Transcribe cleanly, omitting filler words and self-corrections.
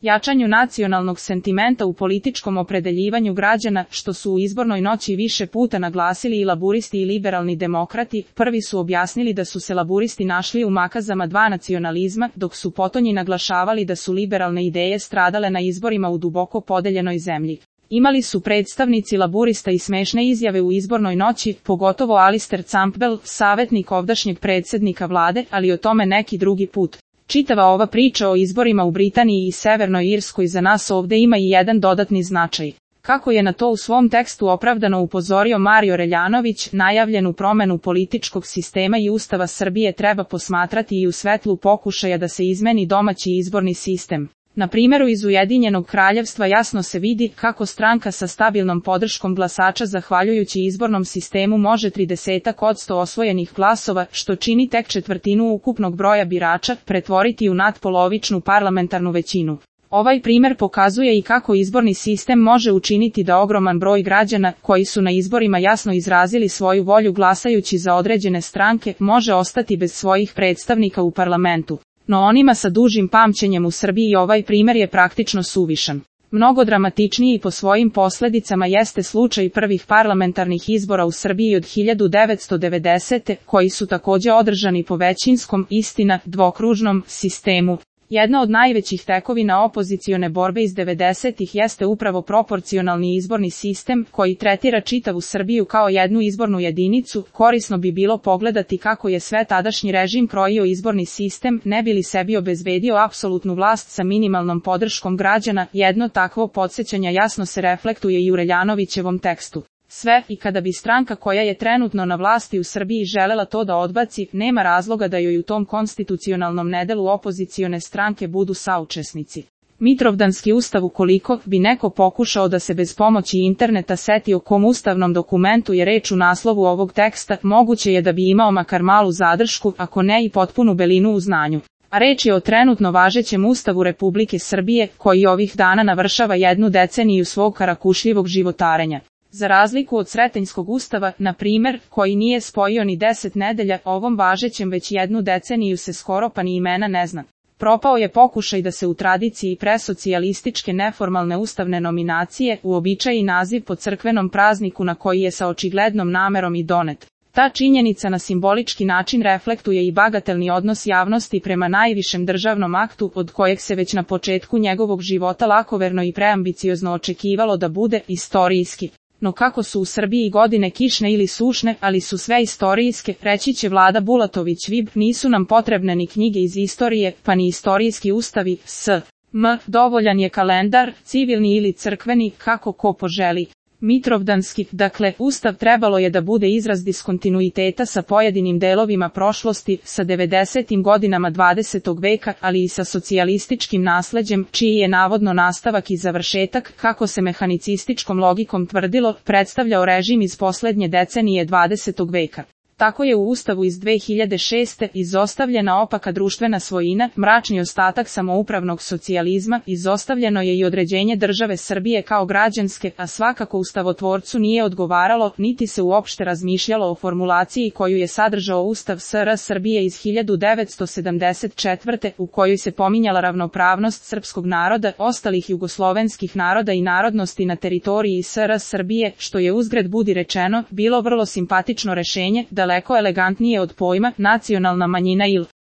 jačanju nacionalnog sentimenta u političkom opredeljivanju građana, što su u izbornoj noći više puta naglasili i laburisti i liberalni demokrati. Prvi su objasnili da su se laburisti našli u makazama dva nacionalizma, dok su potonji naglašavali da su liberalne ideje stradale na izborima u duboko podeljenoj zemlji. Imali su predstavnici laburista i smešne izjave u izbornoj noći, pogotovo Alistair Campbell, savjetnik ovdašnjeg predsjednika vlade, ali o tome neki drugi put. Čitava ova priča o izborima u Britaniji i Severnoj Irskoj za nas ovdje ima i jedan dodatni značaj. Kako je na to u svom tekstu opravdano upozorio Mario Reljanović, najavljenu promjenu političkog sistema i Ustava Srbije treba posmatrati i u svetlu pokušaja da se izmeni domaći izborni sistem. Na primjeru iz Ujedinjenog kraljevstva jasno se vidi kako stranka sa stabilnom podrškom glasača zahvaljujući izbornom sistemu može 30% osvojenih glasova, što čini tek četvrtinu ukupnog broja birača, pretvoriti u natpolovičnu parlamentarnu većinu. Ovaj primjer pokazuje i kako izborni sistem može učiniti da ogroman broj građana, koji su na izborima jasno izrazili svoju volju glasajući za određene stranke, može ostati bez svojih predstavnika u parlamentu. No onima sa dužim pamćenjem u Srbiji ovaj primjer je praktično suvišan. Mnogo dramatičniji po svojim posljedicama jeste slučaj prvih parlamentarnih izbora u Srbiji od 1990. koji su također održani po većinskom, istina, dvokružnom sistemu. Jedna od najvećih tekovina opozicione borbe iz 90-ih jeste upravo proporcionalni izborni sistem, koji tretira čitavu Srbiju kao jednu izbornu jedinicu. Korisno bi bilo pogledati kako je sve tadašnji režim krojio izborni sistem, ne bi li sebi obezbedio apsolutnu vlast sa minimalnom podrškom građana. Jedno takvo podsjećanja jasno se reflektuje i u Reljanovićevom tekstu. Sve, i kada bi stranka koja je trenutno na vlasti u Srbiji želela to da odbaci, nema razloga da joj u tom konstitucionalnom nedelu opozicione stranke budu saučesnici. Mitrovdanski ustav, ukoliko bi neko pokušao da se bez pomoći interneta seti o kom ustavnom dokumentu je reč u naslovu ovog teksta, moguće je da bi imao makar malu zadršku, ako ne i potpunu belinu u znanju. A reč je o trenutno važećem Ustavu Republike Srbije, koji ovih dana navršava jednu deceniju svog karakušljivog životarenja. Za razliku od Sretenjskog ustava, na primjer, koji nije spojio ni 10 nedelja, ovom važećem već jednu deceniju se skoro pa ni imena ne zna. Propao je pokušaj da se u tradiciji presocijalističke neformalne ustavne nominacije uobičaji naziv po crkvenom prazniku na koji je sa očiglednom namerom i donet. Ta činjenica na simbolički način reflektuje i bagatelni odnos javnosti prema najvišem državnom aktu, od kojeg se već na početku njegovog života lakoverno i preambiciozno očekivalo da bude istorijski. No kako su u Srbiji godine kišne ili sušne, ali su sve istorijske, reći će Vlada Bulatović-Vib, nisu nam potrebne ni knjige iz istorije, pa ni istorijski ustavi, dovoljan je kalendar, civilni ili crkveni, kako ko poželi. Mitrovdanski, dakle, ustav trebalo je da bude izraz diskontinuiteta sa pojedinim delovima prošlosti, sa 90. godinama 20. veka, ali i sa socijalističkim nasleđem, čiji je navodno nastavak i završetak, kako se mehanicističkom logikom tvrdilo, predstavljao režim iz posljednje decenije 20. veka. Tako je u Ustavu iz 2006. izostavljena opaka društvena svojina, mračni ostatak samoupravnog socijalizma, izostavljeno je i određenje države Srbije kao građanske, a svakako ustavotvorcu nije odgovaralo, niti se uopšte razmišljalo o formulaciji koju je sadržao Ustav SR Srbije iz 1974. u kojoj se pominjala ravnopravnost srpskog naroda, ostalih jugoslovenskih naroda i narodnosti na teritoriji SR Srbije, što je uzgred budi rečeno, bilo vrlo simpatično rešenje, daleko elegantnije od pojma nacionalna manjina ili